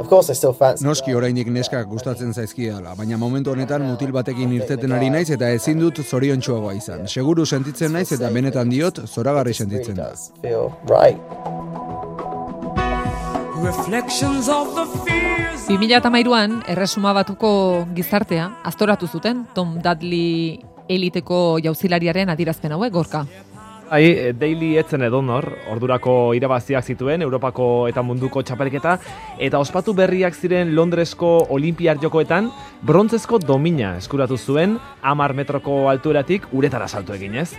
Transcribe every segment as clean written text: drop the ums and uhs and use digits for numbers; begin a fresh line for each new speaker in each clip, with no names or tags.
Noski oraindik neskak gustatzen zaizkidala, baina momentu honetan mutil batekin irteten ari naiz eta ezin dut zoriontsuagoa izan. Seguru sentitzen naiz eta benetan diot, zoragarri sentitzen da.
2013an Erresuma Batuko gizartea aztoratu zuten Tom Dudley eliteko jauzilariaren adierazpen hauek, Gorka.
Daily etzen edonor, ordurako irabaziak zituen, Europako eta munduko txapelketa, eta ospatu berriak ziren Londresko Olimpiar Jokoetan, brontzezko domina eskuratu zuen, 10 metroko altueratik uretara salto eginez.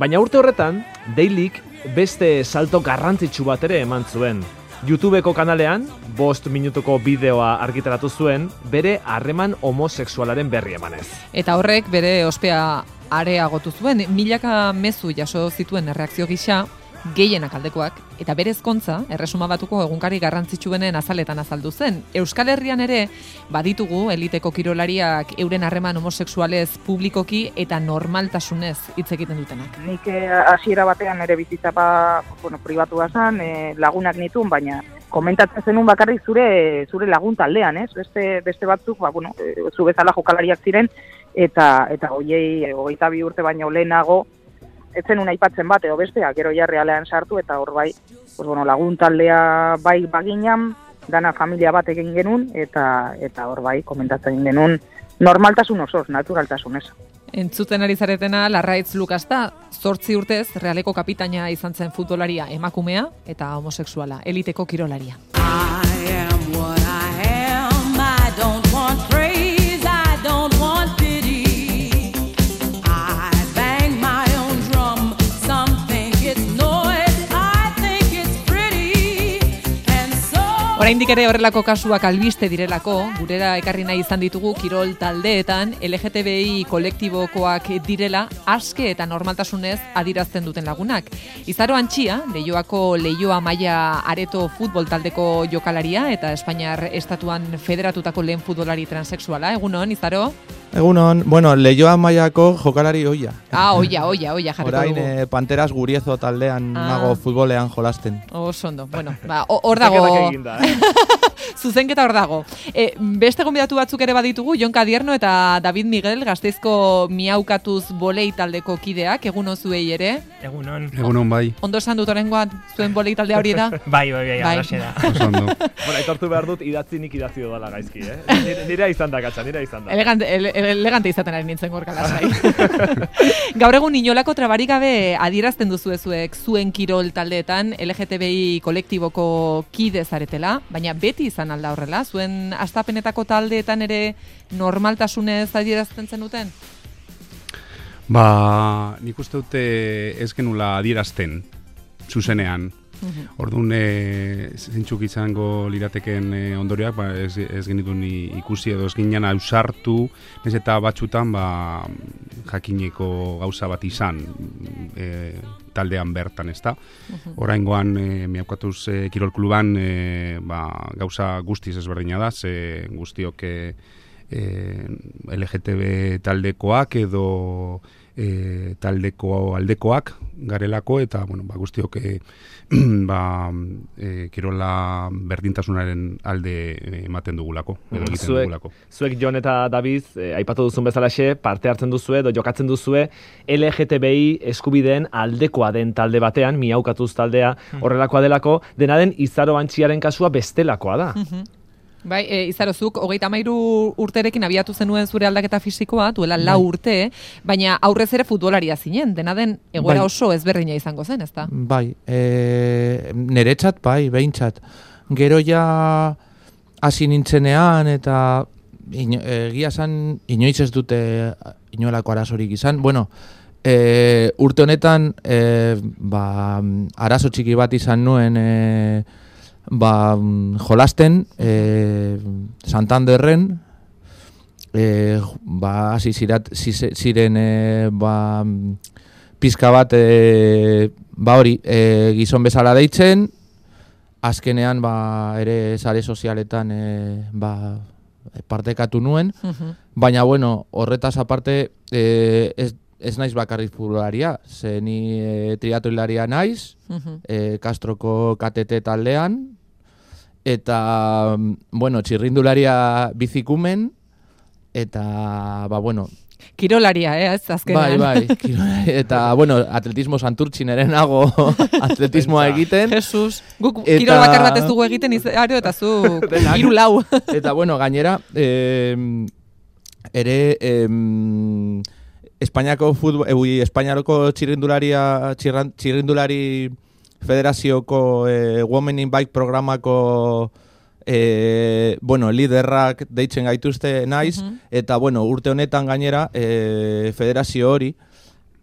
Baina urte horretan, Dailyk beste salto garrantzitsu bat ere eman zuen. YouTubeko kanalean, 5 minutuko bideoa argitaratu zuen, bere harreman homosexualaren berri emanez.
Eta horrek bere ospea areagotu zuen, milaka mezu jaso zituen erreakzio gisa, gehienak aldekoak, eta bere ezkontza, Erresuma Batuko egunkari garrantzitsuenen azaletan azaldu zen. Euskal Herrian ere, baditugu eliteko kirolariak euren harreman homosexualez publikoki eta normaltasunez hitz egiten dutenak.
Nik hasiera batean ere bizitza pribatua zen, lagunak nituen, baina komentatzen zenun bakarrik zure lagun taldean, ez? Beste batzuk, zu bezala jokalariak ziren, eta hoiei 22 urte baino lehenago, ez zenun aipatzen bat, edo bestea, gero ja realean sartu, eta hor bai, lagun taldea bai baginan, dana familia bat egin genuen, eta hor bai, komentatzen genuen, normaltasun osoz, naturaltasunez.
Entzuten ari zaretena, Larraitz Lukas da, 8 urtez, Realeko kapitaina izan zen futbolaria emakumea eta homosexuala, eliteko kirolaria.
I am what I am, I don't want praise, I don't want pity. I bang my own drum, some think it's noise, I think it's pretty, and so...
Oraindik ere horrelako kasuak albiste direlako, gurera ekarri nahi izan ditugu kirol taldeetan LGTBI kolektibokoak direla aske eta normaltasunez adirazten duten lagunak. Izaro Antxia, Leioako Leioa Maia Areto futbol taldeko jokalaria eta Espainiar estatuan federatutako lehen futbolari transexuala. Egunon, Izaro?
Egunon, Leioa Maiako jokalari oia.
Oia, jarriko dugu.
Orain Panteras Guriezo taldean nago futbolean jolasten.
Ondo, hor dago. Zuzenketa hor dago. Beste gonbidatu batzuk ere baditugu, Jon Kadierno eta David Miguel, Gasteizko Miaukatuz bolei taldeko kideak, egunon zuei ere.
Egunon.
Egunon, bai.
Ondo esan dut orengoan zuen bolei taldea hori da?
Bai, alaxe da.
Ondo.
Aitortu behar dut, nik idatzi dudala gaizki, Nira izan da, gatsa, nira izan da.
Elegante izaten ari nintzen Gorka lasai. Gaur egun inolako trabarik gabe adierazten duzuezuek zuen kirol taldeetan LGTBI kolektiboko kide zaretela, baina beti izan alda horrela, zuen astapenetako taldeetan ere normaltasunez adierazten zenuten?
Nik uste dute ez genula adierazten, zuzenean. Orduan, zintzuk izango lirateken ondorioak, ez genituen ikusi edo ez ginen ausartu, ez eta batxutan jakineko gauza bat izan taldean bertan, ez da. Oraingoan, Miaukatuz Kirol Kluban gauza guztiz ezberdina da, ze guztiok LGTB taldekoak edo taldeko aldekoak garelako eta guztiok kirola berdintasunaren alde ematen dugulako edo egiten dugulako.
Zuek Jon eta David aipatu duzun bezalaxe parte hartzen duzue edo jokatzen duzue LGTBI eskubideen aldekoa den talde batean, Miaukatuz taldea horrelakoa delako, dena den Izaro Antxiaren kasua bestelakoa da.
Bai, Izarozuk, 33 urterekin abiatu zenuen zure aldaketa fisikoa, duela 4 urte, baina aurrez ere futbolaria zinen, dena den egoera oso ezberdina izango zen, ezta?
Bai, niretzat, behintzat. Gero ja hasi nintzenean eta egia esan inoiz ez dute inolako arazorik izan. Urte honetan arazo txiki bat izan nuen jolasten Santanderren hasi ziren pizka bat gizon bezala deitzen, azkenean ere sare sozialetan partekatu nuen, baina horretaz aparte ez naiz bakarrik futbolaria, ze ni triatloilaria naiz, Castroko KTT taldean, eta, bueno, txirrindularia bizikumen, eta, bueno,
Kirolaria, ez, azkenean.
bai, eta, bueno, atletismo santurtzin ere nago atletismoa egiten.
Jesus, guk kirol bakar bat ez dugu egiten aro, eta zu 3-4.
Eta, bueno, gainera, ere, Espainiako txirrindulari federazioko Women in Bike programako liderrak deitzen gaituzte naiz, eta, urte honetan gainera, federazio hori,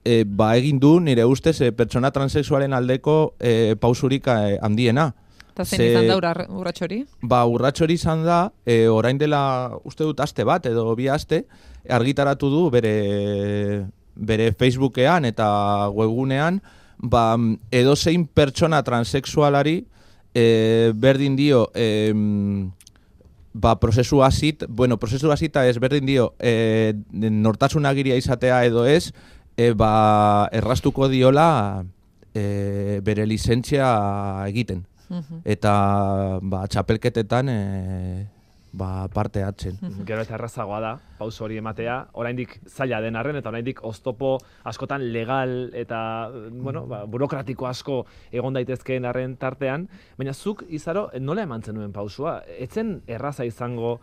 egin du, nire ustez, pertsona transexualen aldeko pausurik handiena.
Eta zein izan da urratxo hori?
Urratxo hori izan da, orain dela, uste dut, aste bat, edo bi aste, argitaratu du bere Facebookean eta webgunean, edozein pertsona transexualari berdin dio prozesu hasita ez berdin dio nortasun agiria izatea edo ez, erraztuko diola bere lizentzia egiten. Eta txapelketetan parte hartzen.
Gero eta errazagoa da, pauso hori ematea, oraindik zaila den arren, eta oraindik oztopo askotan legal eta burokratiko asko egon daitezkeen arren tartean, baina zuk, Izaro, nola eman zenuen pausua? Etzen erraza izango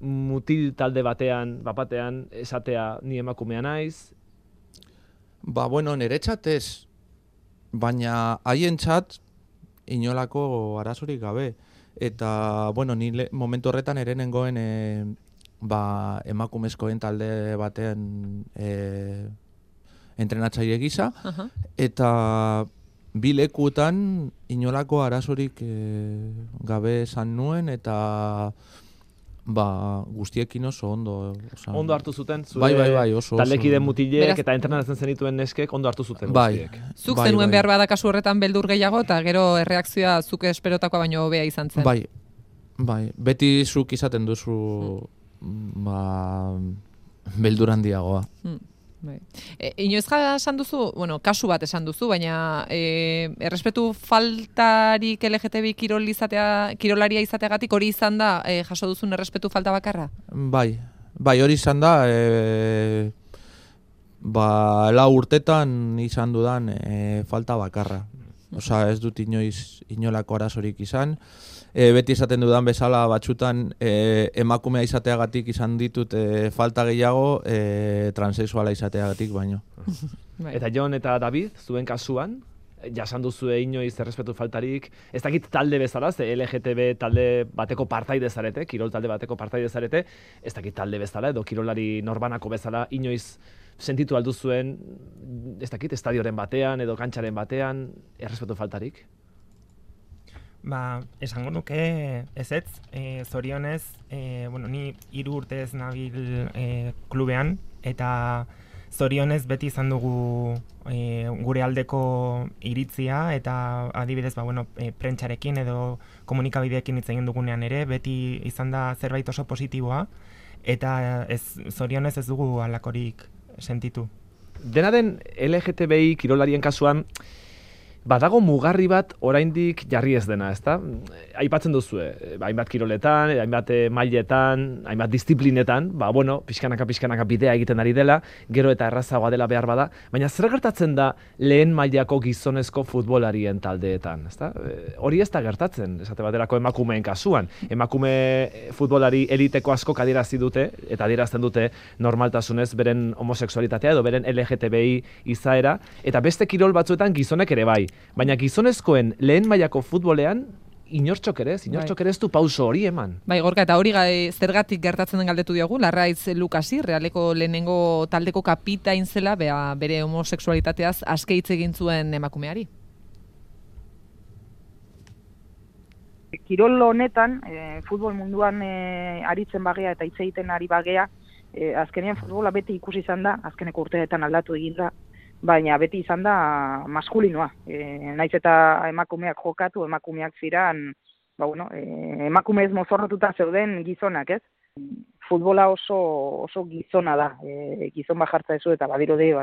mutil talde batean, bapatean, esatea ni emakumea naiz?
Niretzat ez, baina haientzat inolako arazorik gabe. Eta, ni momentu horretan ere nengoen emakumezkoen talde batean entrenatzaile gisa, eta bi lekutan inolako arazorik gabe esan nuen, eta guztiekin oso ondo.
Ondo hartu zuten,
bai, oso.
Taldekide mutilek eta entrenatzen zenituen neskek ondo hartu zuten guztiek.
Zuk zenuen behar bada kasu horretan beldur gehiago, eta gero erreakzioa zuk esperotakoa baino hobea izan zen.
Bai, beti zuk izaten duzu beldur handiagoa.
Inoiz esan duzu, kasu bat esan duzu, baina errespetu faltarik LGTBI kirolaria izateagatik hori izan da jaso duzun errespetu falta bakarra?
Bai, hori izan da, 4 urtetan izan dudan falta bakarra. Osa, ez dut inolako arazorik izan. Beti esaten dudan bezala batzutan emakumea izateagatik izan ditut falta gehiago transexuala izateagatik baino.
Eta Jon eta David, zuen kasuan, jasan duzue inoiz errespetu faltarik, ez dakit talde bezala, ze LGTB talde bateko partaide zarete, kirol talde bateko partaide zarete, ez dakit talde bezala edo kirolari norbanako bezala inoiz sentitu alduzuen, ez dakit, estadioren batean edo kantxaren batean, errespetu faltarik?
Esango nuke ezetz, zorionez, ni 3 urtez nabil klubean, eta zorionez beti izan dugu gure aldeko iritzia, eta adibidez, prentxarekin edo komunikabideekin hitz egin dugunean ere, beti izan da zerbait oso positiboa, eta zorionez ez dugu halakorik sentitu.
Dena den LGTBI kirolarien kasuan, badago mugarri bat oraindik jarri ez dena, ezta? Aipatzen duzue, hainbat kiroletan, hainbat mailetan, hainbat disiplinetan, pixkanaka bidea egiten ari dela, gero eta errazagoa dela behar bada, baina zer gertatzen da lehen mailako gizonezko futbolarien taldeetan, ezta? Hori ez da gertatzen, esate baterako emakumeen kasuan. Emakume futbolari eliteko asko adierazi dute, eta adierazten dute normaltasunez beren homosexualitatea edo beren LGTBI izaera, eta beste kirol batzuetan gizonek ere bai. Baina gizonezkoen lehen mailako futbolean inortxok ere ez du pauso hori eman. Bai,
Gorka, eta hori zergatik gertatzen den galdetu diogu, Larraiz Lukasi, Realeko lehenengo taldeko kapitain zela, bere homosexualitateaz aske hitz egin zuen emakumeari.
Kirol honetan, futbol munduan aritzen bagea eta hitz egiten ari bagea, azkenean futbola beti ikusi izan da, azkeneko urteetan aldatu egin da, baina beti izan da maskulinoa. Naiz eta emakumeak jokatu, emakumeak ziran, emakumez mozorrotuta zeuden gizonak, ez? Futbola oso gizona da, gizon bajartza ezu eta badirudi,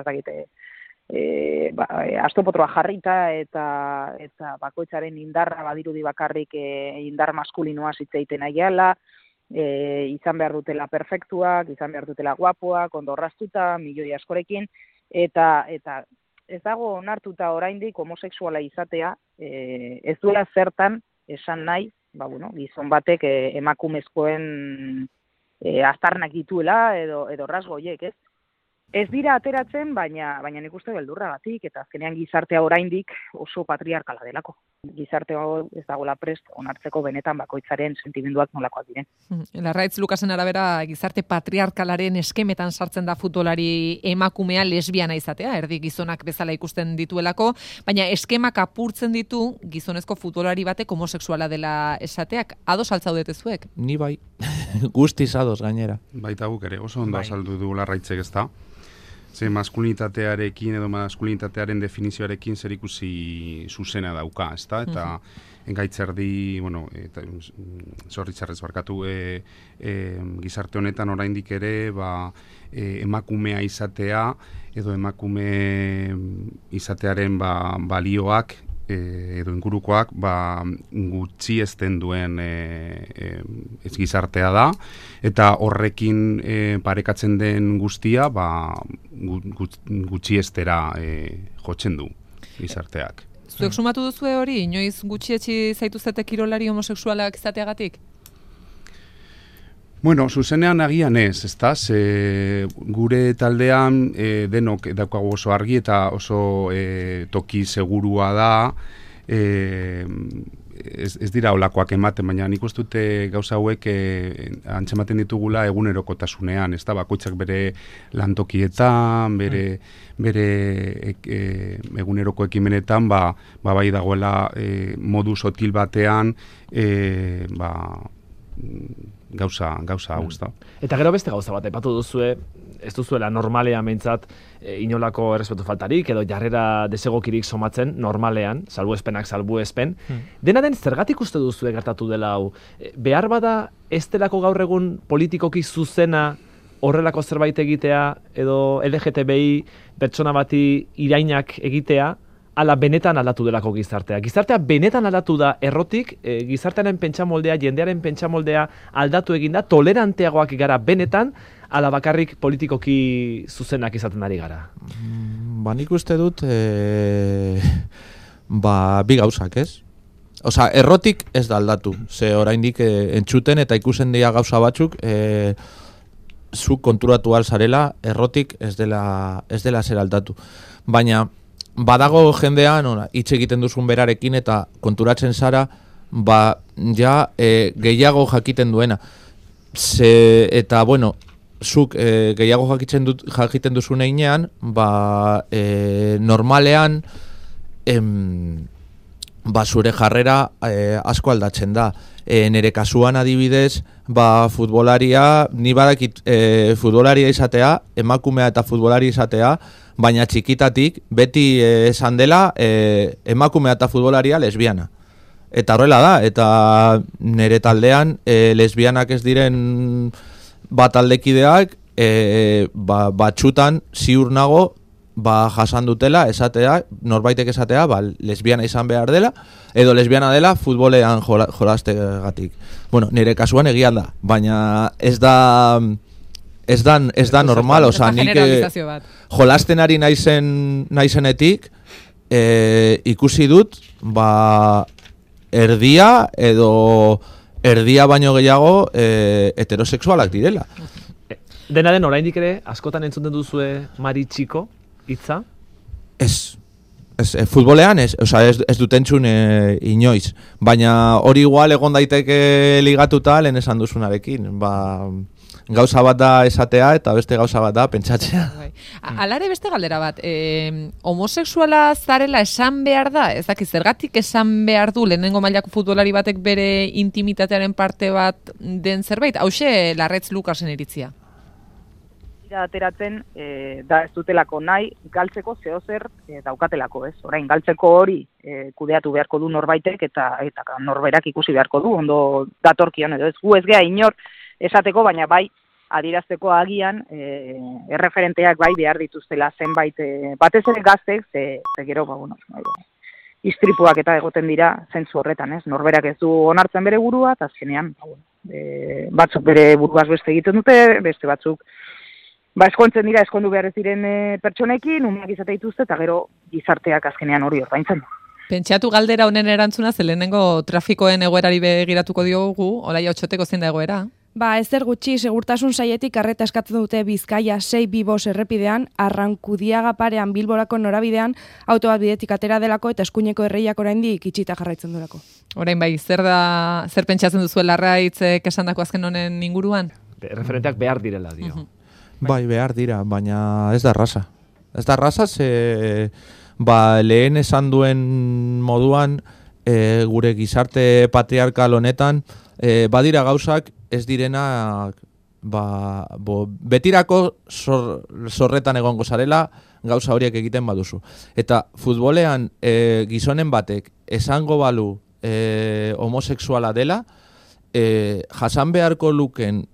astopotroa jarrita eta bakoitzaren indarra badirudi bakarrik indar maskulinoa hitz egiten aiala, izan behar dutela perfektuak, izan behar dutela guapoak, ondo orraztuta, milioi askorekin, eta ez dago onartuta oraindik homosexuala izatea, ez duela zertan esan nahi, gizon batek emakumezkoen aztarnak dituela edo rasgo horiek, ez? Ez dira ateratzen, baina nik uste beldurragatik, eta azkenean gizartea oraindik oso patriarkala delako. Gizarte hau ez dagoela prest onartzeko benetan bakoitzaren sentimenduak nolakoak diren.
Larraitz Lukasen arabera, gizarte patriarkalaren eskemetan sartzen da futbolari emakumea lesbiana izatea, erdi gizonak bezala ikusten dituelako, baina eskemak apurtzen ditu gizonezko futbolari batek homosexuala dela esateak. Ados altzaudete zuek?
Ni bai, guztiz ados gainera.
Baita guk ere, oso ondo azaldu du Larraitzek, ezta? Ze maskulinitatearekin edo maskulinitatearen definizioarekin zer ikusi zuzena dauka, ezta? Eta engaitzerdi, zorritzarrez barkatu, gizarte honetan oraindik ere, emakumea izatea edo emakume izatearen balioak edo ingurukoak gutxi ezten duen ez gizartea da, eta horrekin parekatzen den guztia gutxi estera jotzen du gizarteak.
Zuek sumatu duzue hori, inoiz gutxietxi zaituzete kirolari homosexualak izateagatik?
Bueno, zuzenean agian ez, ezta? Gure taldean denok daukagu oso argi eta oso toki segurua da, ez dira olakoak ematen, baina nik uste dute gauza hauek antzematen ditugula egunerokotasunean, ezta? Bakoitzak bere lantokietan, bere eguneroko ekimenetan, bai dagoela modu sotil batean, gauza hau, ezta.
Eta gero beste gauza bat, aipatu duzue, ez duzuela normalean behintzat inolako errespetu faltarik, edo jarrera desegokirik somatzen normalean, salbuespen. Dena den, zergatik uste duzue gertatu dela hau? Behar bada ez delako gaur egun politikoki zuzena horrelako zerbait egitea, edo LGTBI pertsona bati irainak egitea, ala benetan aldatu delako gizartea. Gizartea benetan aldatu da errotik, gizartearen pentsamoldea, jendearen pentsamoldea aldatu eginda, toleranteagoak gara benetan, ala bakarrik politikoki zuzenak izaten ari gara.
Nik uste dut, bi gauzak, ez? Osa, errotik ez da aldatu. Ze oraindik entzuten eta ikusen dira gauza batzuk, zu konturatu alzarela, errotik ez dela zer aldatu. Baina, badago jendean, hitz egiten duzun berarekin eta konturatzen zara, gehiago jakiten duena. Eta, zuk gehiago jakiten duzun einean, normalean, zure jarrera asko aldatzen da. Nere kasuan adibidez, futbolaria, ni badakit futbolaria izatea, emakumea eta futbolaria izatea, baina txikitatik beti esan dela emakumea eta futbolaria lesbiana. Eta horrela da, eta nere taldean lesbianak ez diren taldekideak batxutan ziur nago jasan dutela esatea, norbaitek esatea, lesbiana izan behar dela, edo lesbiana dela futbolean jolastegatik. Nire kasuan egian da, baina ez da normal, oza, nik jolasten ari naizenetik ikusi dut, erdia baino gehiago heterosexualak direla.
Dena den, oraindik ere, askotan entzuten duzue Mari Txiko hitza?
Ez, futbolean ez dut entzun inoiz, baina hori igual egon daiteke ligatuta lehen esan duzunarekin, gauza bat da esatea eta beste gauza bat da pentsatzea.
Alare beste galdera bat, homosexuala zarela esan behar da? Ez dakit, zergatik esan behar du lehenengo mailako futbolari batek bere intimitatearen parte bat den zerbait? Hauxe Larraitz Lukasen iritzia.
Ateratzen da ez dutelako nahi galtzeko zeozer daukatelako, ez? Orain galtzeko hori kudeatu beharko du norbaitek eta norberak ikusi beharko du ondo datorkion edo ez gu ez gea inor esateko, baina bai adierazteko agian erreferenteak bai behar dituztela zenbait, batez ere gaztek, ze gero, istripuak eta egoten dira zentzu horretan, ez? Norberak ez du onartzen bere burua, eta azkenean, batzuk bere buruaz beste egiten dute, beste batzuk eskontzen dira, eskondu behar ez diren pertsonekin, umeak izate dituzte, eta gero gizarteak azkenean hori ordaintzen du.
Pentsatu galdera honen erantzuna, zelenengo trafikoen egoerari begiratuko diogu, Olaia Otxoteko zein da egoera?
Ezer gutxi, segurtasun saietik arreta eskatzen dute Bizkaia 6-2 errepidean, Arrankudiaga parean Bilborako norabidean, auto bat bidetik atera delako eta eskuineko erreiak oraindik itxita jarraitzen durako.
Orain bai, zer pentsatzen duzu Larraitzek esandako azken honen inguruan?
Referenteak behar direla, dio.
Bai, behar dira, baina ez da erraza. Ez da erraza, lehen esan duen moduan, gure gizarte patriarkal honetan, badira gauzak ez direnak betirako zorretan egongo zarela gauza horiek egiten baduzu. Eta futbolean gizonen batek esango balu homosexuala dela, jasan beharko luken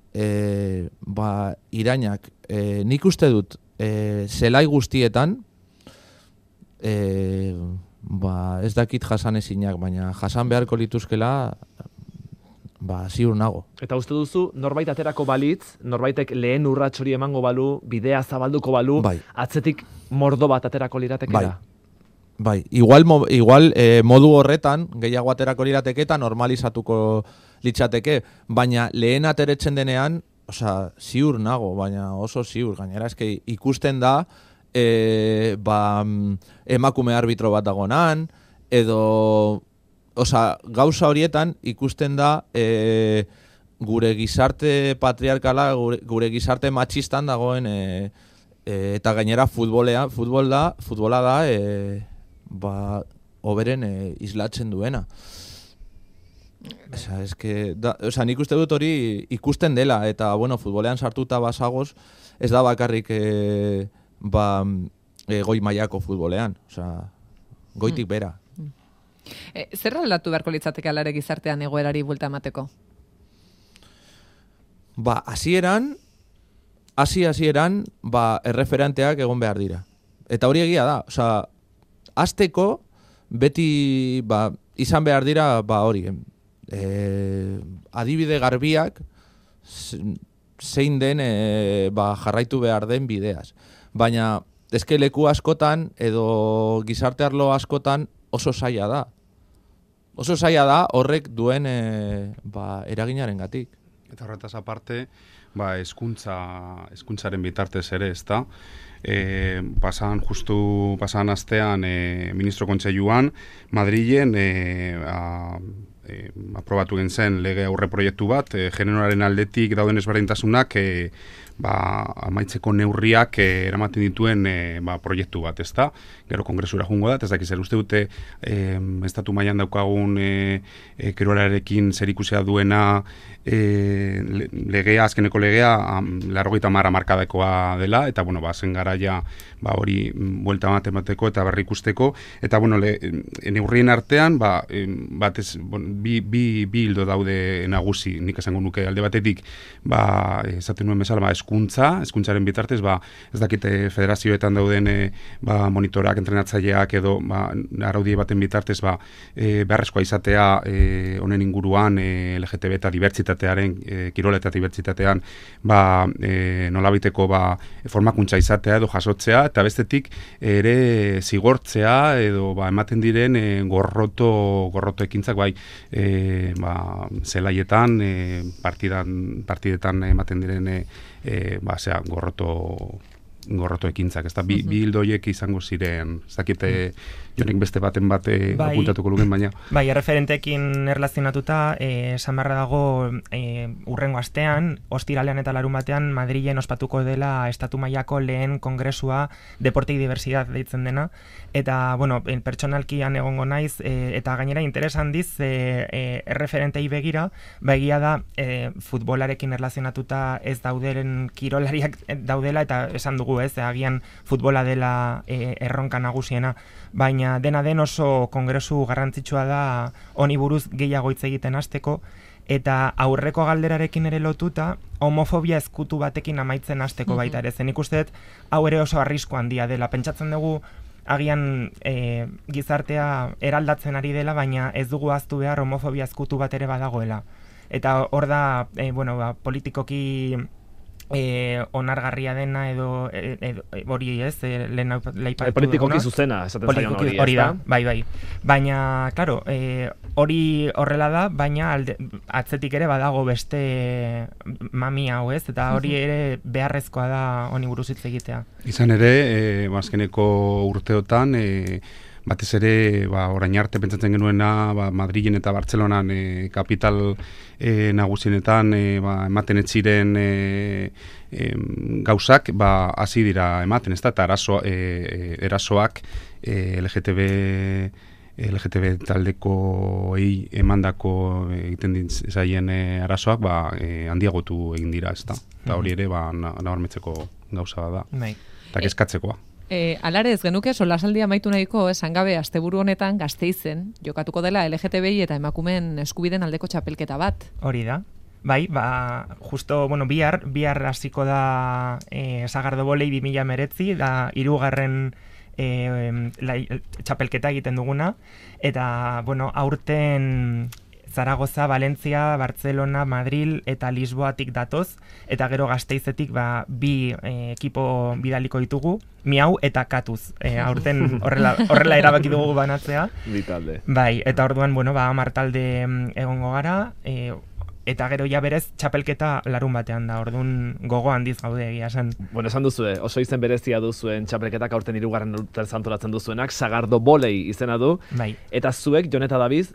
irainak nik uste dut zelai guztietan ez dakit jasan ezinak, baina jasan beharko lituzkela ziur nago.
Eta uste duzu, norbait aterako balitz, norbaitek lehen urrats hori emango balu, bidea zabalduko balu, atzetik mordo bat aterako liratekera?
Bai, igual modu horretan, gehiago aterako lirateke eta normalizatuko litzateke, baina lehen ateretzen denean, ziur nago, baina oso ziur, gainera eske ikusten da, emakume arbitro bat dagonan, edo gauza horietan ikusten da gure gizarte patriarkala, gure gizarte matxistan dagoen eta gainera futbola da oberen islatzen duena. Nik uste dut hori ikusten dela, eta futbolean sartuta basagoz, ez da bakarrik goi mailako futbolean, goitik bera.
Zer aldatu beharko litzateke alare gizartean egoerari buelta emateko?
Hasieran erreferenteak egon behar dira. Eta hori egia da. Hasteko beti izan behar dira hori. Adibide garbiak zein den jarraitu behar den bideaz. Baina eske leku askotan edo gizarte arlo askotan oso zaila da. Oso zaila da horrek duen eraginarengatik.
Eta horretaz aparte, hezkuntzaren bitartez ere, ezta? Pasan astean ministro kontseiluan Madrilen aprobatu zen lege aurreproiektu bat, generoaren aldetik dauden ezberdintasunak amaitzeko neurriak eramaten dituen proiektu bat, ezta? Gero kongresura joango da, ez dakiz zer uste dute estatu mailan daukagun kirolarekin zerikusia duena legea, azkeneko legea 80 markadekoa dela, eta zen garaia hori buelta emateko eta berrikusteko, eta neurrien artean bi hildo daude nagusi, nik esango nuke alde batetik esaten nuen bezala hezkuntzaren bitartez ez dakite federazioetan dauden monitorak, entrenatzaileak edo araudie baten bitartez beharrezkoa izatea honen inguruan LGTB eta dibertsitatearen kirola eta dibertsitatean nolabiteko formakuntza izatea edo jasotzea, eta bestetik ere zigortzea edo ematen diren gorroto ekintzak zelaietan partidetan ematen diren gorroto ekintzak, ez da, bi hildoiek izango ziren, ez dakite jonek beste baten apuntatuko luken, baina.
Erreferentekin erlazionatuta, esan beharra dago urrengo astean, ostiralean eta larun batean, Madrilen ospatuko dela estatu mailako lehen kongresua Deporte y Diversidad deitzen dena, eta, pertsonalkian egongo naiz, eta gainera interesan diz, erreferentei begira, egia da, futbolarekin erlazionatuta ez dauderen kirolariak daudela, eta esan dugu agian futbola dela erronka nagusiena, baina dena den oso kongresu garrantzitsua da honi buruz gehiago hitz egiten hasteko, eta aurreko galderarekin ere lotuta, homofobia ezkutu batekin amaitzen hasteko baita ere. Zen ikusten hau ere oso arrisku handia dela. Pentsatzen dugu agian gizartea eraldatzen ari dela, baina ez dugu ahaztu behar homofobia ezkutu bat ere badagoela. Eta hor da, politikoki onargarria dena edo hori ez, lehen laipatu
politikoki zuzena, esaten zaion hori,
hori da, bai. Baina, claro, hori horrela da, baina atzetik ere badago beste mami hau ez, eta hori ere beharrezkoa da honi buruz hitz egitea.
Izan ere, azkeneko urteotan, batez ere, orain arte pentsatzen genuena, Madrilen eta Bartzelonan kapital nagusienetan ematen ez ziren gauzak, hasi dira ematen, ez da, eta erasoak LGTB taldekoei emandako egiten zaien arazoak handiagotu egin dira, ez da. Eta hori ere nabarmetzeko gauza da. Eta kezkatzekoa.
Alare ez genuke solasaldia amaitu nahiko, esan gabe asteburu honetan Gasteizen jokatuko dela LGTBI eta emakumeen eskubiden aldeko txapelketa bat.
Hori da. Bai, justo, bihar hasiko da Sagardo Volei 2019, da 3. Txapelketa egiten duguna, eta, aurten Zaragoza, Valentzia, Barcelona, Madrid eta Lisboatik datoz, eta gero Gasteizetik 2 ekipo bidaliko ditugu, Miau eta Katuz. Aurten horrela erabaki dugu banatzea.
Bitalde.
Bai, eta orduan, 10 talde egongo gara, eta gero ja berez txapelketa larun batean da, orduan gogo handiz gaude egia esan.
Esan duzue, oso izen berezia duzuen txapelketak aurten 3. urtean antolatzen duzuenak, Sagardo Volei izena du.
Bai.
Eta zuek, Jon eta David,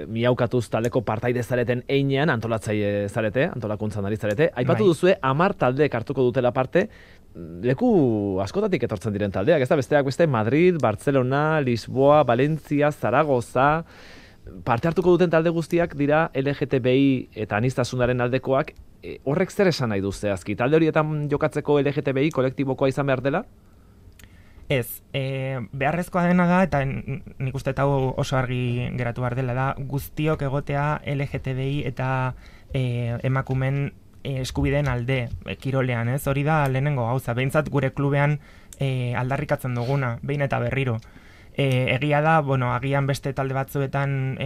Miaukatuz taldeko partaide zareten einean antolatzaile zarete, antolakuntzan ari zarete. Aipatu duzue 10 taldeek hartuko dutela parte, leku askotatik etortzen diren taldeak, ez da besteak beste Madrid, Barcelona, Lisboa, Valentzia, Zaragoza. Parte hartuko duten talde guztiak dira LGTBI eta aniztasunaren aldekoak. Horrek zer esan nahi du zehazki? Talde horietan jokatzeko LGTBI kolektibokoa izan behar dela?
Ez, beharrezkoa dena da, eta nik uste hau oso argi geratu behar dela da, guztiok egotea LGTBI eta emakumen eskubideen alde kirolean, ez? Hori da lehenengo gauza, behintzat gure klubean aldarrikatzen duguna, behin eta berriro. Egia da, agian beste talde batzuetan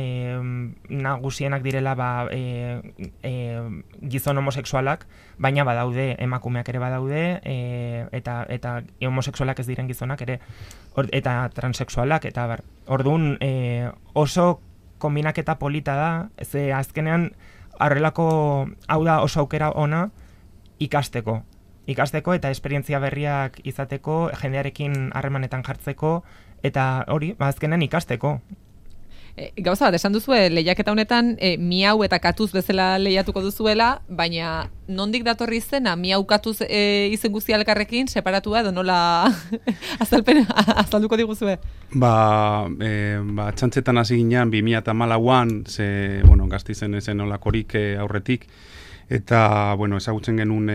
nagusienak direla gizon homosexualak, baina badaude, emakumeak ere badaude, eta homosexualak ez diren gizonak ere, eta transexualak, eta orduan oso kombinaketa polita da, ze azkenean horrelako hau da oso aukera ona ikasteko eta esperientzia berriak izateko, jendearekin harremanetan jartzeko, eta hori, azkenen ikasteko.
Gauza bat, esan duzue, lehiaketa honetan Miau eta Katuz bezala lehiatuko duzuela, baina nondik datorri izena, Miau Katuz izen guztia elkarrekin, separatua edo nola azalduko diguzue?
Txantzetan hasi ginean 2014an, Gasteizen ezen olakorik aurretik, eta, ezagutzen genuen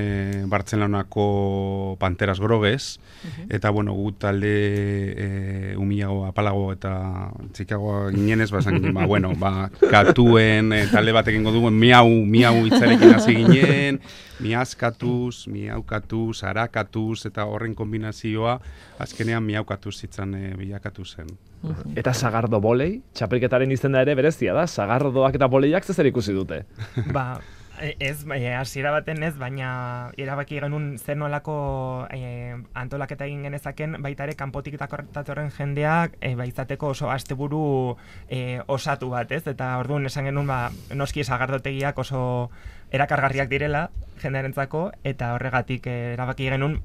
Bartzelonako Panteras Grogues, eta, gu talde umiago, apalago eta txikago ginenez, esan ginen, katuen talde batekin goduen, miau itzarekin hasi ginen, miazkatuz, miaukatuz, arakatuz, eta horren kombinazioa, azkenean miaukatuz zitzan bilakatu zen.
Eta Sagardo Volei, txapelketaren izena ere berezia da, Sagardoak eta Voleiak zer ikusi dute?
Ez, hasiera baten ez, baina erabaki genuen zer nolako antolaketa egin genezaken, baita ere kanpotik datorren jendeak izateko oso asteburu osatu bat, ez? Eta orduan esan genuen noski sagardotegiak oso erakargarriak direla jendearentzako, eta horregatik erabaki genuen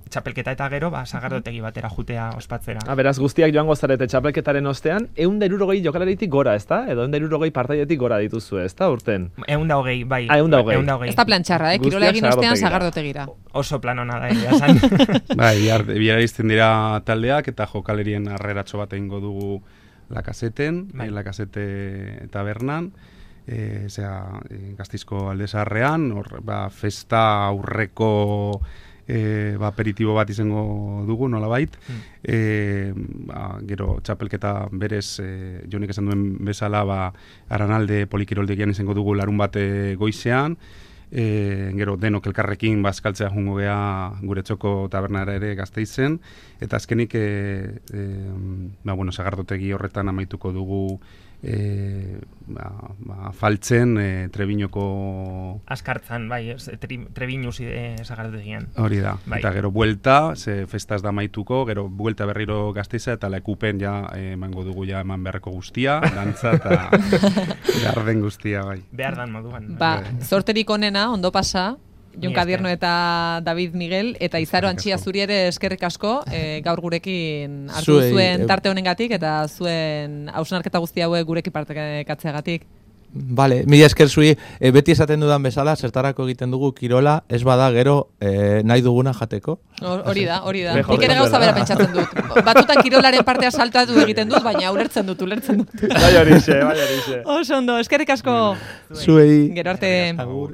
txapelketa eta gero, sagardotegi batera jutea ospatzera.
Beraz, guztiak joango zarete txapelketaren ostean, 160 jokalaritik gora, ez da? Edo 160 partaidetik gora dituzu, ez da, urten?
120, bai.
120.
Ez da plantxarra, kirola egin ostean sagardotegira.
Oso plan hona da, esan.
Bihar izten dira taldeak, eta jokalerien arreratxo bat egingo dugu Lakaseten, Lakasete tabernan, Gasteizko Alde Zaharrean, festa aurreko aperitibo bat izango dugu, nolabait. Gero txapelketa berez, Jonik esan duen bezala, Aranalde polikiroldegian izango dugu larun bat goizean, gero denok elkarrekin bazkaltzea jungo gea gure txoko tabernara ere Gasteizen, eta azkenik sagardotegi horretan amaituko dugu faltzen Trebiñoko
Askartzan, bai, Trebiñus sagardotegian.
Hori da,
bai.
Eta gero buelta, ze festaz da amaituko, gero buelta berriro Gasteiza eta lekupen ja emango dugu ja eman beharreko guztia, dantza eta behar den guztia, bai.
Behar dan moduan.
Zorterik onena, ondo pasa, Jon Kadierno eta David Miguel, eta Izaro Antxia zuri ere eskerrik asko, gaur gurekin hartu zuen tarte honengatik eta zuen hausnarketa guzti hauek gurekin partekatzeagatik.
Vale, mila esker zui, beti esaten dudan bezala, zertarako egiten dugu kirola, ez bada gero nahi duguna jateko.
Hori da. Nik ere gauza bera pentsatzen dut. Batutan kirolaren partea saltatu egiten dut, baina ulertzen dut.
Bai horixe.
Oso ondo, eskerrik asko.
Zuei.
Gero arte.
Agur.